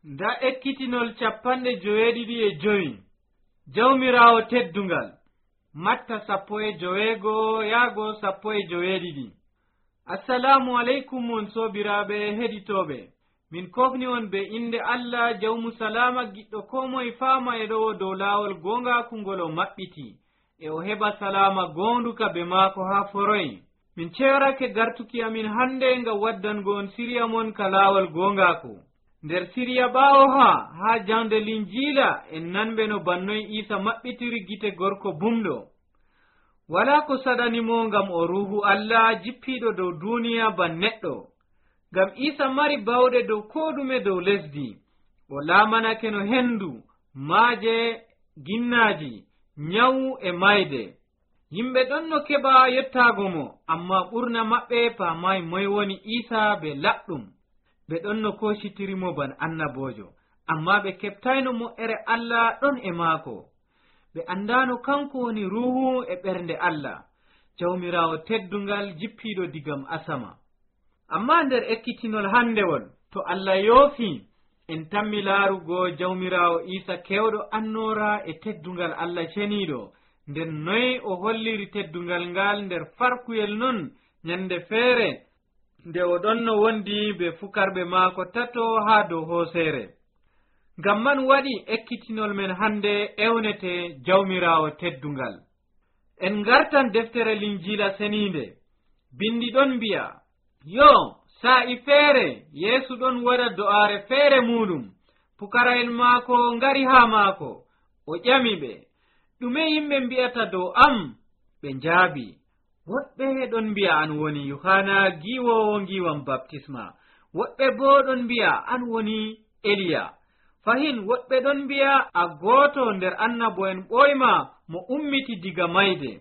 nda ekkitinol 95 jawmirawo teddungal Matta 15 yaago 12. Assalamu alaikum mon sobiraɓe heɗitoɓe, min kofni on be inde Allah jawmu salama giɗɗo ko moye faama e ɗo dow laawol gongaku ngol o maɓɓiti e o heɓa salama gonduka be maako ha foroy. Min ceerake gartuki amin hande ngam waddango on siriya mon ka laawol gongaku. nder siriya ɓaawo ha jande linjila en nanɓe no bannoy Isa maɓɓitiri gite gorko bumɗo. wala ko saɗanimo ngam o ruhu Allah jippiɗo dow duniya ban neɗɗo, ngam Isa mari bawɗe dow ko ɗume dow lesdi. o laamanake no hendu, maaje, ginnaji, nyawu e mayde. yimɓe ɗon no keɓa yettago mo, amma ɓurna maɓɓe paamayi moy woni Isa be laɗɗum. ɓe ɗon no kositirimo ban annabojo, amma ɓe keɓtayno mo'ere Allah ɗon e maako. ɓe andano kanko woni ruhu e ɓernde Allah, jawmirawo teddungal jippiɗo digam asama. amma nder ekkitinol handewol, to Allah yoofi en tammi laarugo jawmirawo Isa kewɗo annora e teddungal Allah ceniɗo, nden noy o holliri teddungal ngal nder farkuyel non nyande feere nde o ɗon no wondi be fukarɓe maako tato ha dow hoosere. ngam man waɗi ekkitinol men hande ewnete jawmirawo teddungal. en gartan deftere linjila seninde, bindi ɗon mbi'a, yo sa'i feere Yeesu ɗon waɗa do'aare feere muɗum, pukara'en maako ngari ha maako, o ƴami ɓe, ɗume yimɓe mbi'ata dow am? ɓe njaabi. woɓɓe ɗon mbi'a an woni Yohana giwowo ngiwam baptisma, woɓɓe bo ɗon mbi'a an woni Eliya, fahin woɓɓe ɗon mbi'a a gooto nder annabo'en ɓoyma mo ummiti diga mayde.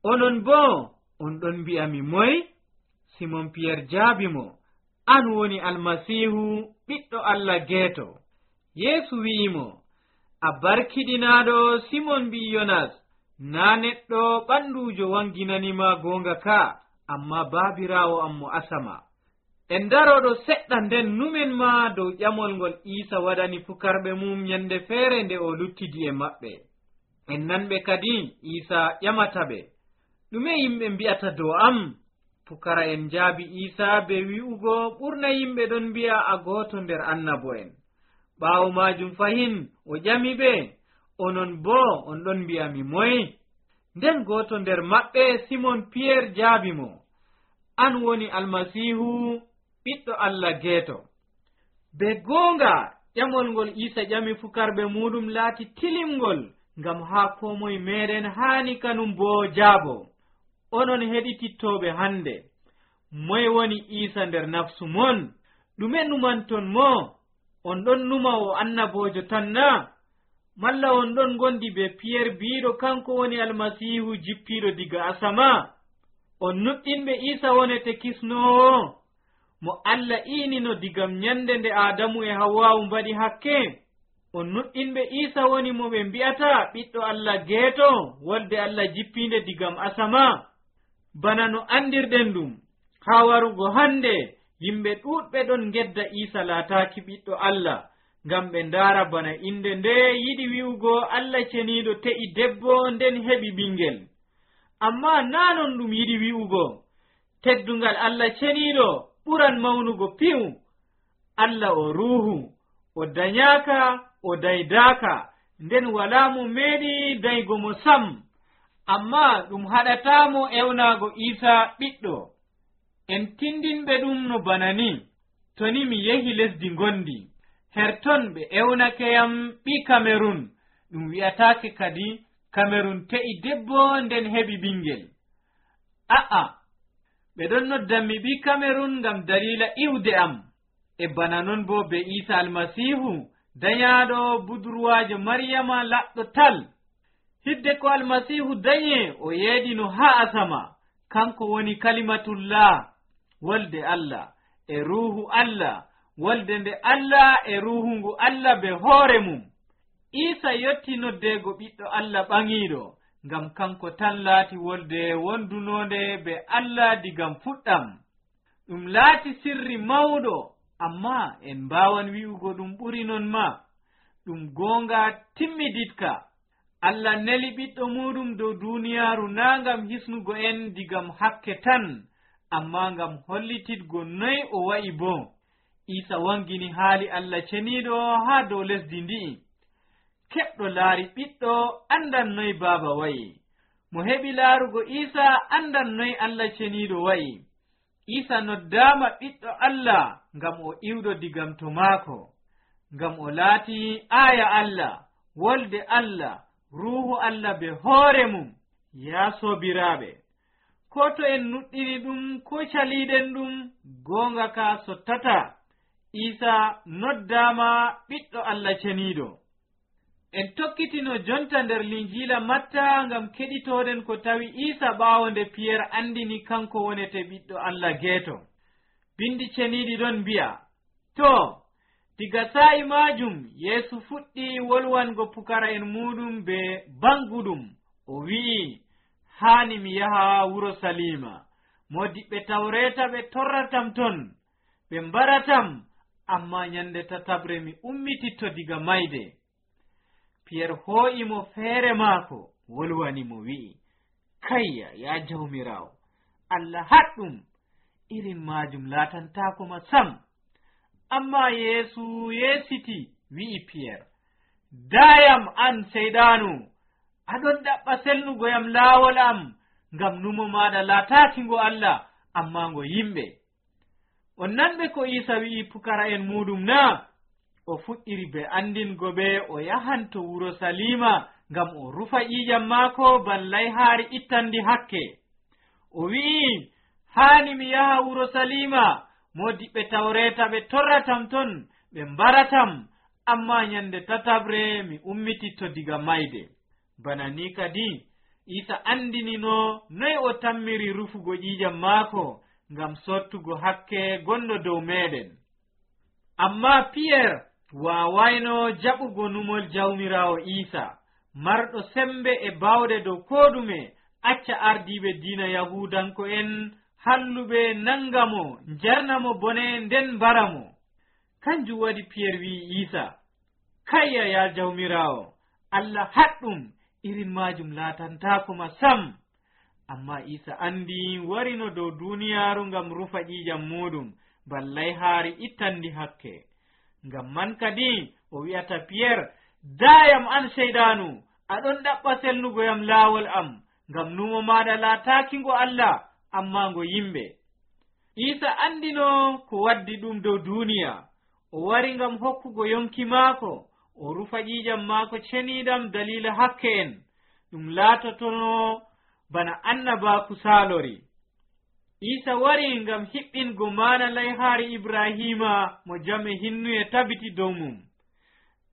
onon bo on ɗon mbi'ami moy? Simon Pierre jaabi mo, an woni Almasihu, ɓiɗɗo Allah geeto. Yeesu wi'imo, a barkiɗinaɗo Simon ɓi Yonas, na neɗɗo ɓandujo wanginanima gonga ka, amma baabirawo am mo asama. en daroɗo seɗɗa nden numen ma dow ƴamol ngol Isa waɗani fukarɓe mum nyande feere nde o luttidi e maɓɓe. en nanɓe kadi Isa ƴamata ɓe, ɗume yimɓe mbi'ata dow am? Pukara en jaabi Isa be wi'ugo, ɓurna yimɓe ɗon mbi'a a gooto nder annabo'en. ɓaawo majum fahin o ƴami ɓe, onon bo on ɗon mbi'ami moy? nden gooto nder maɓɓe, Simon Pierre jaabi mo, an woni Almasihu, ɓiɗɗo Allah geeto. be goonga ƴamol ngol Isa ƴami fukarɓe muɗum laati tilimngol, ngam haa ko moye meɗen haani kanum bo jaabo. onon heɗitittoɓe hande, moye woni Isa nder nafsu mon? ɗume numanton mo? on ɗon numa o annabojo tan na? malla on ɗon gondi be Pierre biiɗo kanko woni Almasihu jippiɗo diga asama? on nuɗɗinɓe Isa wonete kisnowo, mo Allah iinino digam nyande nde Adamu e Hawwa mbaɗi hakke? on nuɗɗinɓe Isa woni mo ɓe mbi'ata ɓiɗɗo Allah geeto, wolde Allah jippinde digam asama? bana no andirɗen ɗum, ha warugo hande yimɓe ɗuɗɓe ɗon gedda Isa laataki ɓiɗɗo Allah, ngam ɓe ndaara bana inde nde yiɗi wi'ugo Allah ceniɗo te'i debbo nden heɓi ɓingel. amma nanon ɗum yiɗi wi'ugo, teddungal Allah ceniɗo ɓuran mawnugo piw. Allah o ruhu, o danyaka, o daydaka, nden wala mo meeɗi daygo mo sam. amma ɗum haɗatamo ewnago Isa ɓiɗɗo. en tindinɓe ɗum no bana ni, to ni mi yehi lesdi gondi, herton ɓe ewnakeyam ɓi Kamerun, ɗum wi'atake kadi Kamerun te'i debbo nden heɓi ɓingel. a'a, ɓe ɗon noddanmi ɓi Kamerun ngam dalila iwde am. e bana non bo be Isa Almasihu, dayaɗo budurwajo Maryama laɗɗo tal. hidde ko Almasihu danye o yeedino ha asama, kanko woni kalimatullah, wolde Allah e ruhu Allah, wolde nde Allah e ruhu ngu Allah be hoore mum. Isa yotti noddego ɓiɗɗo Allah ɓaŋiɗo, ngam kanko tan laati wolde wondunode be Allah digam fuɗɗam. ɗum laati sirri mawɗo amma en mbawan wi'ugo ɗum ɓuri non ma. ɗum gonga timmiditka. Allah neli ɓiɗɗo muɗum dow duniyaaru na ngam hisnugo en digam hakke tan, amma ngam hollitidgo noy o wa'i bo. Isa wangini haali Allah ceniiɗo haa dow lesdi ndi'i. Keɓɗo laari ɓiɗɗo andan noy baaba wa'i. Mo heɓi laarugo Isa andan noy Allah ceniiɗo wa'i. Isa noddaama ɓiɗɗo Allah ngam o iwɗo digam to maako, ngam o laati aya Allah, wolde Allah, ruuhu Allah be hoore mum. Ya soobiraaɓe, ko to en nuɗɗiri ɗum ko caliiɗen ɗum, goonga ka sottata. Isa noddaama ɓiɗɗo Allah ceniiɗo. En tokkitino jonta nder linjiila Matta ngam keɗitoɗen ko tawi Isa ɓaawo nde Piyerre andini kanko wonete ɓiɗɗo Allah geeto. Bindi ceniiɗi ɗon mbi'a, to diga sa'i majum Yeesu fuɗɗi wolwango pukara'en muɗum be banguɗum. O wi'i, haani mi yaha wuro Salima. Modiɓɓe Tawreeta ɓe torratam ton, ɓe mbaratam, amma nyande tatabre mi ummititto diga mayde. Piyerre hoo'imo feere maako, wolwani mo wi'i, kayya ya jawmirawo, Allah haɗɗum, irin majum laatantakoma sam. Amma Yeesu yeesiti wi'i Piyerre, dayam an seyɗanu, aɗon ɗaɓɓa selnugoyam laawol am, ngam numo maɗa laataaki ngo Allah, amma ngo yimɓe. On nanɓe ko Isa wi'i pukara'en muɗum na? O fuɗɗiri be andingo ɓe o yahanto wuro Salima ngam o rufa ƴiƴam maako ballay haari ittandi hakke. O wi'i, haani mi yaha wuro Salima, modiɓɓe Tawreeta ɓe torratam ton, ɓe mbaratam, amma nyande tatabre mi ummititto diga mayde. Bana ni kadi Isa andinino noy o tammiri rufugo ƴiƴam maako ngam sottugo hakke gonɗo dow meɗen. Amma Piyerre wawayno jaɓugo numol jawmirawo Isa, marɗo sembe e bawɗe dow koɗume, acca ardiɓe diina Yahudanko'en halluɓe nangamo, jarnamo bone nden mbaramo. Kanjum waɗi Piyerre wi'i Isa, kayya ya jawmirawo, Allah haɗɗum, irin majum laatantakoma sam. Amma Isa andi warino dow duniyaaru ngam rufa ƴiƴam muɗum, ballay haari ittandi hakke. Ngam man kadi o wi'ata Piyerre, dayam an seyɗanu, aɗon ɗaɓɓa selnugoyam laawol am, ngam numo maɗa laataaki ngo Allah, amma ngo yimɓe. Isa andino ko waddi ɗum dow duniya. O wari ngam hokkugo yonki maako, o rufa ƴiƴam maako ceniiɗam dalila hakke en, ɗum laatotono bana annabaaku saalori. Isa wari ngam hiɓɓingo maana layhaari Ibrahima mo jame hinnuye tabiti dow mum.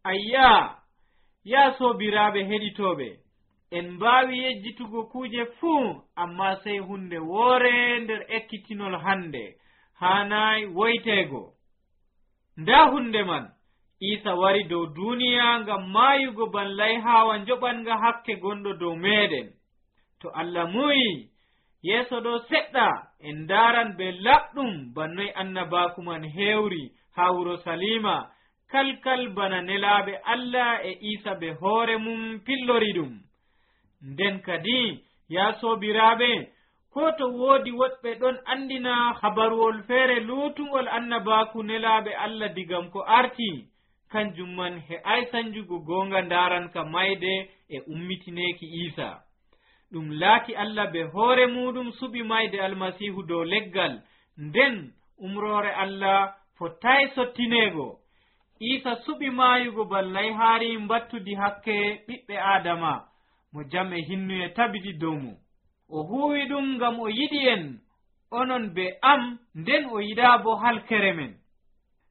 Ayya, ya soobiraaɓe heɗitooɓe, en mbaawi yejjitugo kuuje fuu, amma sey hunde woore nder ekkitinol hande haanayi woyteego. Nda hunde man, Isa wari dow duniya ngam maayugo ban layhaawa njoɓanga hakke gonɗo dow meɗen. To Allah muyi yeeso ɗo seɗɗa en ndaran be laɓɗum bannoy annabaaku man heewri haa wuro Salima, kalkal bana nelaaɓe Allah e Isa be hoore mum pillori ɗum. Nden kadi ya soobiraaɓe, ko to woodi woɗɓe ɗon andina habaruwol feere luutungol annabaaku nelaaɓe Allah digam ko arti, kanjum man he'ay sanjugo goonga ndaranka mayde e ummitineeki Isa. ɗum laati Allah be hoore muɗum suɓi mayde Almasihu dow leggal, nden umrore Allah fottay sottineego. Isa suɓi maayugo ballay haari mbattudi hakke ɓiɓɓe Adama mo jam e hinnuye tabiti dow mum. O huuwi ɗum ngam o yiɗi en, onon be am, nden o yiɗa bo halkere men.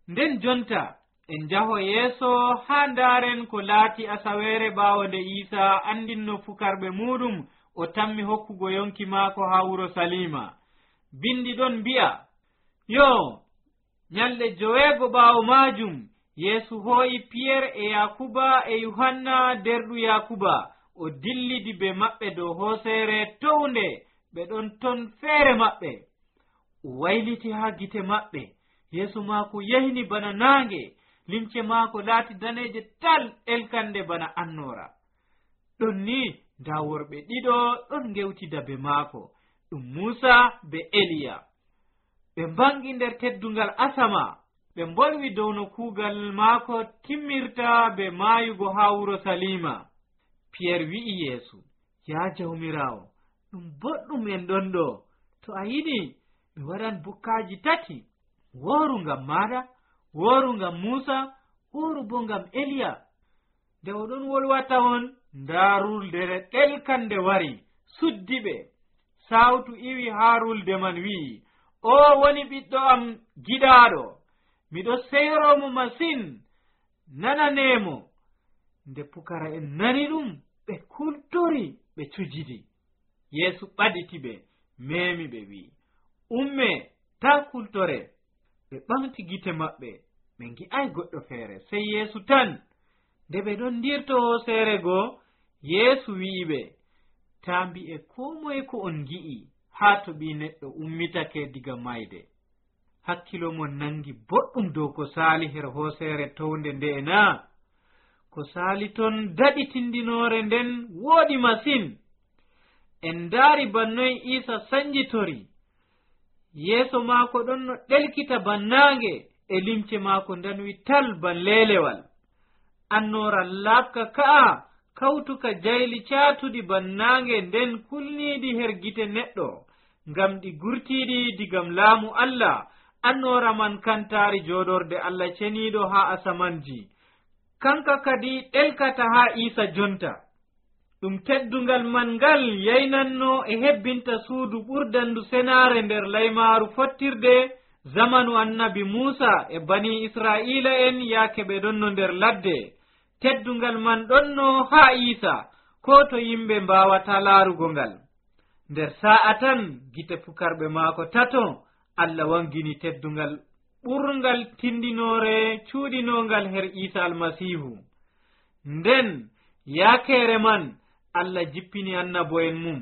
Nden jonta en jaho yeeso haa ndaaren ko laati asaweere ɓaawo nde Isa andinno fukarɓe muɗum o tammi hokkugo yonki maako haa wuro Salima. Bindi ɗon mbi'a, yo nyalɗe 9 ɓaawo maajum Yeesu hoo'i Piyerre e Yakuba e Yohanna derɗu Yakuba, o dillidi be maɓɓe dow hooseere townde ɓe ɗon ton feere maɓɓe. O wayliti haa gite maɓɓe, yeeso maako yahini bana naange, limce maako laati daneeje tal elkande bana annoora. ɗon ni nda worɓe ɗiɗo ɗon ngewtida be maako, ɗum Muusa be Eliya. ɓe mbangi nder teddungal asama, ɓe mbolwi dow no kuugal maako timmirta be maayugo haa wuro Salima. Pierre wi'i Yeesu, yaa Jawmiraawo, ɗum boɗɗum en ɗon ɗo. To a yiɗi ɓe waɗan bukkaaji tati, wooru ngam maaɗa, wooru ngam Muusa, wooru bo ngam Eliya. Nde oɗon wolwata on, ndaa ruldere ɗelkande wari suddi ɓe. Sawtu iwi haa rulde man wi'i, o woni ɓiɗɗo am giɗaaɗo, miɗo seyromo masin, nananemo. Nde pukara en nani ɗum, ɓe kultori, ɓe cujidi. Yeesu ɓaditi ɓe, memi ɓe wi'i, umme ta kultore. ɓe ɓamti gite maɓɓe, ɓe ngi'ay goɗɗo feere, sey Yeesu tan. Nde ɓe ɗon ndirto hooseere goo, Yeesu wi'i ɓe, ta mbi'e ko moye ko on gi'i haa to ɓii neɗɗo ummitake diga mayde. Hakkilo mon nangi boɗɗum dow ko saali her hooseere townde nde na. Ko saali ton daɗi tindinoore nden wooɗi masin. En ndaari bannoy Iisa sanjitori. Yeeso maako ɗon no ɗelkita bannaange, e limce maako ndanwi tal ban leelewal. Annoora laaɓka ka'a kawtuka jayli caatuɗi bannaange nden kulniiɗi her gite neɗɗo, ngam ɗi gurtiiɗi digam laamu Allah. Annoora man kantaari jooɗorde Allah ceniiɗo haa asamanji, kanka kadi ɗelkata haa Iisa jonta. ɗum teddungal man ngal yaynanno e hebbinta suudu ɓurdandu senaare nder laymaaru fottirde zamanu annabi Muusa e bani Israa'ila en yaake ɓe ɗonno nder ladde. Teddungal man ɗonno haa Iisa, ko to yimɓe mbawata laarugo ngal. Nder sa'a tan gite pukarɓe maako tato, Allah wangini teddungal ɓurngal tindinoore cuuɗinongal her Iisa almasihu. Nden yaakeere man Allah jippini annabo'en mum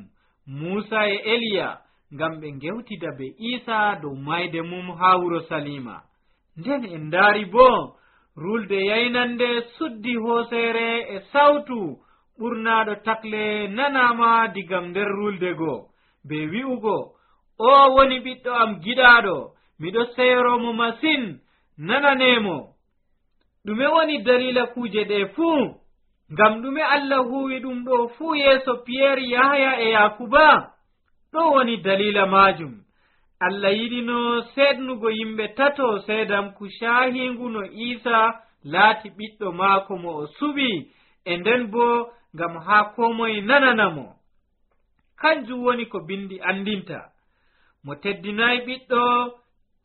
Muusa e Eliya ngam ɓe ngewtida be Iisa dow mayde mum haa wuro Salima. Nden en ndaari bo rulde yaynande suddi hooseere e sawtu ɓurnaaɗo takle nanama digam nder rulde goo, be wi'ugo, o woni ɓiɗɗo am giɗaaɗo, miɗo seyromo masin, nananemo. ɗume woni dalila kuuje ɗe fuu? Ngam ɗume Allah huwi ɗum ɗo fuu yeeso Pierre, Yahaya e Yakuba? ɗo woni dalila majum. Allah yiɗino seednugo yimɓe tato seedam ku shahingu no Iisa laati ɓiɗɗo maako mo o suɓi, e nden bo ngam haa komoye nananamo. Kanjum woni ko bindi andinta, mo teddinayi ɓiɗɗo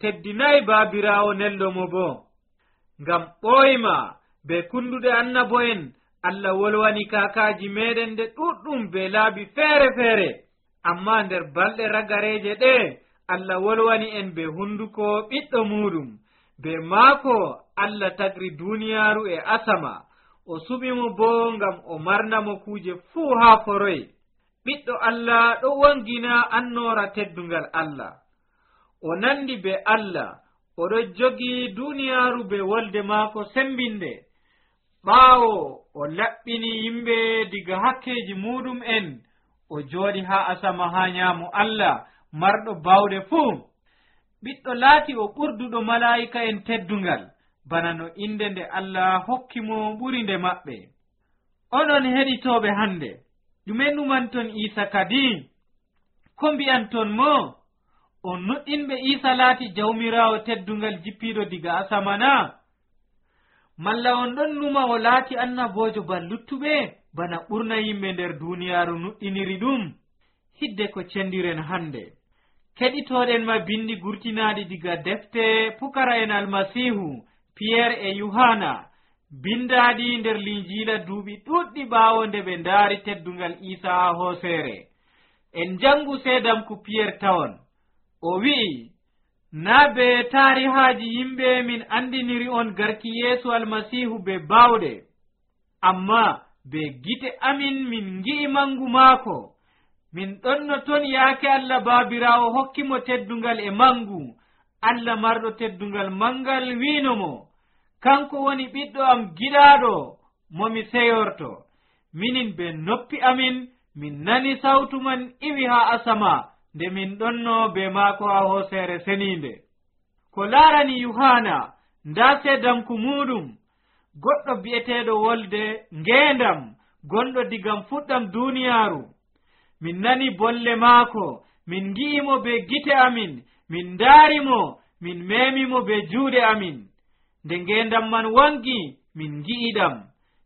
teddinayi baabiraawo nello mo bo. Ngam ɓoyma be kunduɗe annabo'en Allah wolwani kakaji meɗen nde ɗuɗɗum be laabi feere feere, amma nder balɗe ragareje ɗe Allah wolwani en be hunduko ɓiɗɗo muɗum. Be maako Allah tagri duniyaaru e asama, o suɓimo bo ngam o marnamo kuuje fuu haa foroy. Ɓiɗɗo Allah ɗo wangina annoora teddungal Allah, o nandi be Allah, oɗo jogi duniyaaru be wolde maako sembinde. ɓaawo o laɓɓini yimɓe diga hakkeji muɗum en, o jooɗi haa asama haa nyaamo Allah marɗo bawɗe fuu. ɓiɗɗo laati o ɓurduɗo malaa'ika en teddungal, bana no inde nde Allah hokkimo ɓuri nde maɓɓe. onon heɗitooɓe hande, ɗume numanton Iisa kadi? ko mbi'anton mo? on nuɗɗinɓe Iisa laati jawmiraawo teddungal jippiiɗo diga asamana? malla on ɗon numa o laati annabojo ban luttuɓe, bana ɓurna yimɓe nder duniyaaru nuɗɗiniri ɗum? hidde ko cendiren hande, keɗitoɗen ma bindi gurtinaɗi diga defte pukara en almasihu Pierre e Yohana, bindaɗi nder linjiila duuɓi ɗuɗɗi ɓaawo nde ɓe ndaari teddungal Iisa ha hooseere. en jangu seedam ku Pierre tawon, o wi'i, na be taarihaaji yimɓe min andiniri on garki Yeesu almasihu be baawɗe, amma be gite amin min ngi'i mangu maako. min ɗonno ton yaake Allah baabiraawo hokkimo teddungal e mangu. Allah marɗo teddungal mangal wiinomo kanko woni ɓiɗɗo am giɗaɗo momi seyorto. Minin be noppi amin min nani sawtu man iwi ha asama nde min ɗonno be maako ha hoosere seninde. Ko laarani Yohana nda seedanku muɗum goɗɗo bi'eteɗo Wolde ngendam gonɗo digam fuɗɗam duniyaaru. Min nani bolle maako, min ngi'imo be gite amin, min ndaarimo, min memimo be juuɗe amin. Nde ngendam man wangi min ngi'iɗam,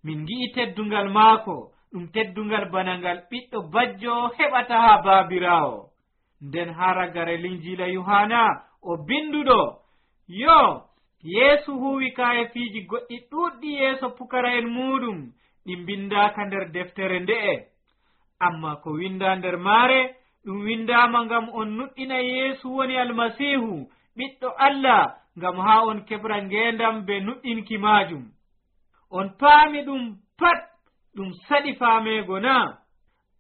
min ngi'i teddungal maako, ɗum teddungal bana ngal ɓiɗɗo bajjo heɓata ha baabirawo. Nden ha ragare linjila Yohana o binduɗo yo Yeesu huwi kayefiiji goɗɗi ɗuɗɗi yeeso pukara'en muɗum ɗi bindaka nder deftere nde'e, amma ko winda nder maare ɗum windama ngam on nuɗɗina Yeesu woni Almasihu ɓiɗɗo Allah, ngam ha on keɓra ngendam be nuɗɗinki majum. On paami ɗum pat ɗum saɗi faamego na?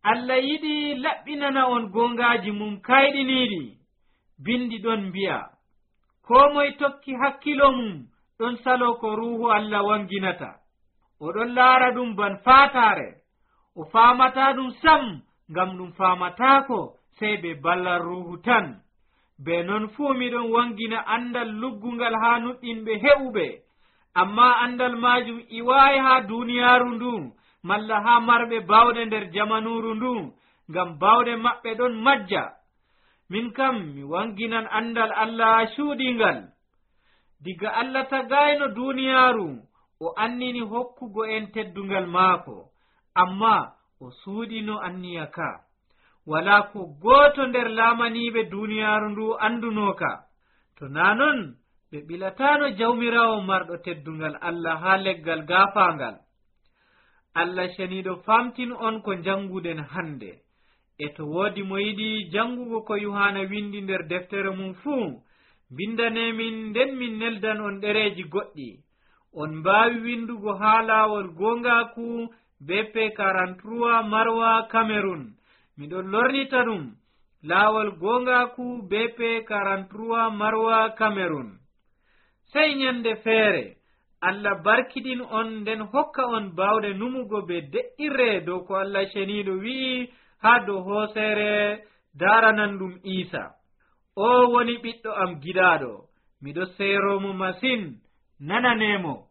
Allah yiɗi laɓɓinana on gongaji mum kayɗiniɗi. Bindi ɗon mbi'a ko moye tokki hakkilo mum ɗon salo ko ruhu Allah wanginata. Oɗon laara ɗum ban fatare, o famata ɗum sam ngam ɗum famatako sey be ballar ruhu tan. Be non fuu miɗon wangina andal luggungal ha nuɗɗinɓe heɓuɓe, amma andal majum iwayi ha duniyaaru ndu malla ha marɓe bawɗe nder jamanuru ndu, ngam bawɗe maɓɓe ɗon majja. Min kam mi wanginan andal Allah cuuɗingal. Diga Allah tagayno duniyaaru o annini hokkugo en teddungal maako, amma o suuɗino anniya ka. Wala ko goto nder laamaniɓe duniyaaru ndu andunoka. To na non ɓe ɓilatano jawmirawo marɗo teddungal Allah ha leggal gaafangal. Allah ceniɗo famtin on ko janguden hande. E to woodi mo yiɗi jangugo ko Yohana windi nder deftere mum fuu, bindanemin nden min neldan on ɗereji goɗɗi. On mbawi windugo ha lawol gongaku BP 43 Marwa Cameroon. Miɗon lornita ɗum lawol gongaku BP 43 Marwa Cameroon. Sey nyande feere Allah barkidin on nden hokka on bawde numugo be de'irre dow ko Allah ceniɗo wi'i ha dow hoosere daranan ɗum Isa. O woni ɓiɗɗo am giɗaɗo, miɗo seeromo masin, nananemo.